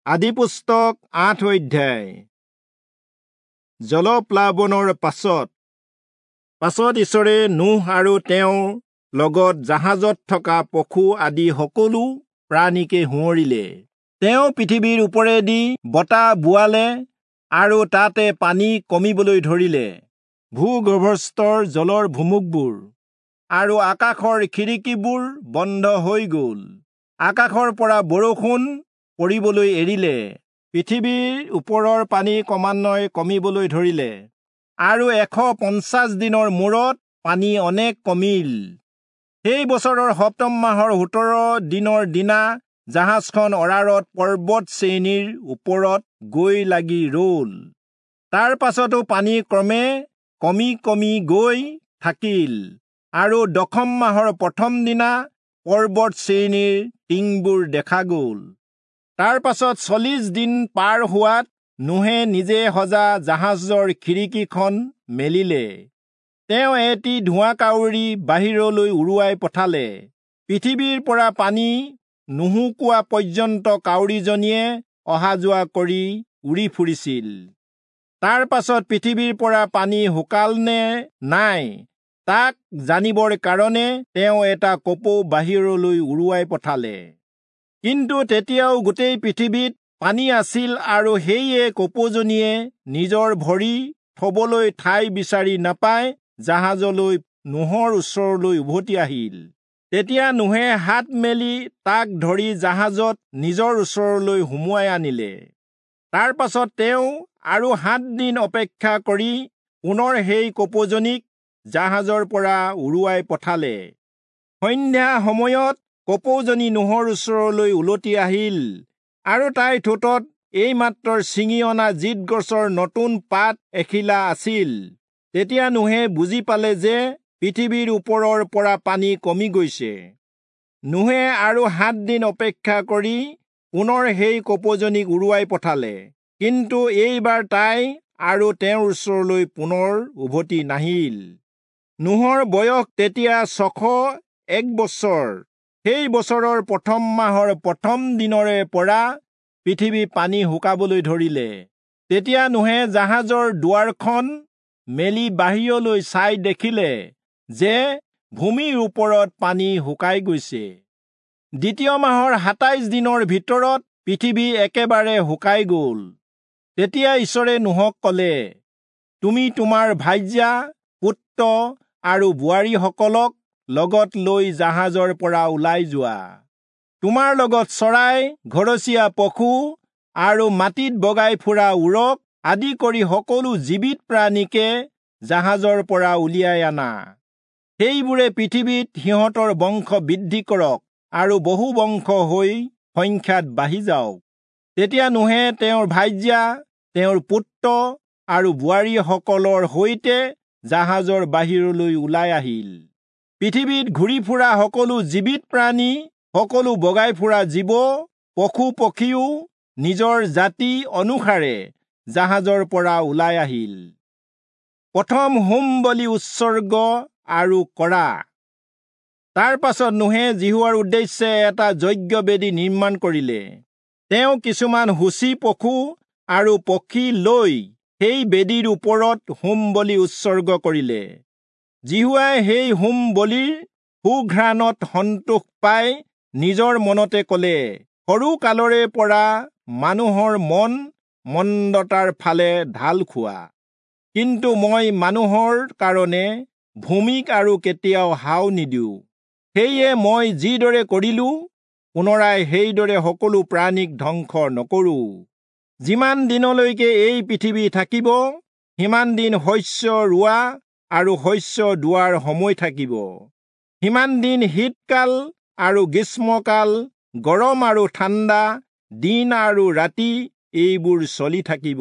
আদিপুস্তক ৮ অধ্যায়। জলপ্লাৱনৰ পাছত ঈশ্বৰে নোহ আৰু তেওঁৰ লগত জাহাজত থকা পশু আদি সকলো প্ৰাণীকে সোঁৱৰিলে। তেওঁ পৃথিৱীৰ ওপৰেদি বতাহ বোৱালে আৰু তাতে পানী কমিবলৈ ধৰিলে। ভূগৰ্ভস্থৰ জলৰ ভুমুকবোৰ আৰু আকাশৰ খিৰিকীবোৰ বন্ধ হৈ গ'ল। আকাশৰ পৰা বৰষুণ পৰিবলৈ এৰিলে। পৃথিৱীৰ ওপৰৰ পানী ক্ৰমান্বয়ে কমিবলৈ ধৰিলে আৰু ১৫০ দিনৰ মূৰত পানী অনেক কমিল। সেই বছৰৰ সপ্তম মাহৰ ১৭ দিনৰ দিনা জাহাজখন অৰাৰত পৰ্বত শ্ৰেণীৰ ওপৰত গৈ লাগি ৰল। তাৰ পাছতো পানী ক্ৰমে কমি কমি গৈ থাকিল আৰু দশম মাহৰ প্ৰথম দিনা পৰ্বত শ্ৰেণীৰ টিংবোৰ দেখা গ'ল। তাৰ পাছত ৪০ দিন পাৰ হোৱাত নোহে নিজে সজা জাহাজৰ খিৰিকীখন মেলিলে। তেওঁ এটি ধোঁৱা কাউৰী বাহিৰলৈ উৰুৱাই পঠালে। পৃথিৱীৰ পৰা পানী নুশুকোৱা পৰ্যন্ত কাউৰীজনীয়ে অহা যোৱা কৰি উৰি ফুৰিছিল। তাৰ পাছত পৃথিৱীৰ পৰা পানী শুকাল নে নাই তাক জানিবৰ কাৰণে তেওঁ এটা কপৌ বাহিৰলৈ উৰুৱাই পঠালে। কিন্তু তেতিয়াও গোটেই পৃথিৱীত পানী আছিল আৰু সেয়ে কপৌজনীয়ে নিজৰ ভৰি থবলৈ ঠাই বিচাৰি নাপাই জাহাজলৈ নোহৰ ওচৰলৈ উভতি আহিল। তেতিয়া নোহে হাত মেলি তাক ধৰি জাহাজত নিজৰ ওচৰলৈ সুমুৱাই আনিলে। তাৰ পাছত তেওঁ আৰু ৭ দিন অপেক্ষা কৰি পুনৰ সেই কপৌজনীক জাহাজৰ পৰা উৰুৱাই পঠালে। সন্ধ্যা সময়ত কপৌজনী নোহৰ ওচৰলৈ উলটি আহিল আৰু তাইৰ ঠোঁটত এইমাত্ৰ ছিঙি অনা জিত গছৰ নতুন পাত এখিলা আছিল। তেতিয়া নোহে বুজি পালে যে পৃথিৱীৰ ওপৰৰ পৰা পানী কমি গৈছে। নোহে আৰু ৭ দিন অপেক্ষা কৰি পুনৰ সেই কপৌজনীক উৰুৱাই পঠালে, কিন্তু এইবাৰ তাই আৰু তেওঁৰ ওচৰলৈ পুনৰ উভতি নাহিল। নোহৰ বয়স তেতিয়া ৬০১ বছৰ। সেই বছৰৰ প্ৰথম মাহৰ প্ৰথম দিনৰে পৰা পৃথিৱী পানী শুকাবলৈ ধৰিলে। তেতিয়া নোহে জাহাজৰ দুৱাৰখন মেলি বাহিৰলৈ চাই দেখিলে যে ভূমিৰ ওপৰত পানী শুকাই গৈছে। দ্বিতীয় মাহৰ ২৭ দিনৰ ভিতৰত পৃথিৱী একেবাৰে শুকাই গ'ল। তেতিয়া ঈশ্বৰে নোহক ক'লে, তুমি তোমাৰ ভাৰ্যা, পুত্ৰ আৰু বোৱাৰীসকলক লগত লৈ জাহাজৰ পৰা ওলাই যোৱা। তোমাৰ লগত চৰাই, ঘৰচীয়া পশু আৰু মাটিত বগাই ফুৰা উৰক আদি কৰি সকলো জীৱিত প্ৰাণীকে জাহাজৰ পৰা উলিয়াই আনা। সেইবোৰে পৃথিৱীত সিহঁতৰ বংশ বৃদ্ধি কৰক আৰু বহু বংশ হৈ সংখ্যাত বাঢ়ি যাওক। তেতিয়া নোহে তেওঁৰ ভাৰ্যা, তেওঁৰ পুত্ৰ আৰু বোৱাৰীসকলৰ সৈতে জাহাজৰ বাহিৰলৈ ওলাই আহিল। পৃথিৱীত ঘূৰি ফুৰা সকলো জীৱিত প্ৰাণী, সকলো বগাই ফুৰা জীৱ, পশু পক্ষীও নিজৰ জাতি অনুসাৰে জাহাজৰ পৰা ওলাই আহিল। প্ৰথম হোম বলি উৎসৰ্গ আৰু কৰা। তাৰ পাছত নোহে যিহোৱাৰ উদ্দেশ্যে এটা যজ্ঞবেদী নিৰ্মাণ কৰিলে। তেওঁ কিছুমান সূচী পশু আৰু পক্ষী লৈ সেই বেদীৰ ওপৰত হোম বলি উৎসৰ্গ কৰিলে। যিহোৱাই সেই হোম বলিৰ সুঘ্ৰাণত সন্তোষ পাই নিজৰ মনতে ক'লে, সৰু কালৰে পৰা মানুহৰ মন মন্দতাৰ ফালে ঢাল খোৱা, কিন্তু মই মানুহৰ কাৰণে ভূমিক আৰু কেতিয়াও হাও নিদিওঁ। সেয়ে মই যিদৰে কৰিলো পুনৰাই সেইদৰে সকলো প্ৰাণীক ধ্বংস নকৰোঁ। যিমান দিনলৈকে এই পৃথিৱী থাকিব সিমান দিন শস্য ৰোৱা আৰু শস্য দোৱাৰ সময় থাকিব। সিমান দিন শীতকাল আৰু গ্ৰীষ্মকাল, গৰম আৰু ঠাণ্ডা, দিন আৰু ৰাতি এইবোৰ চলি থাকিব।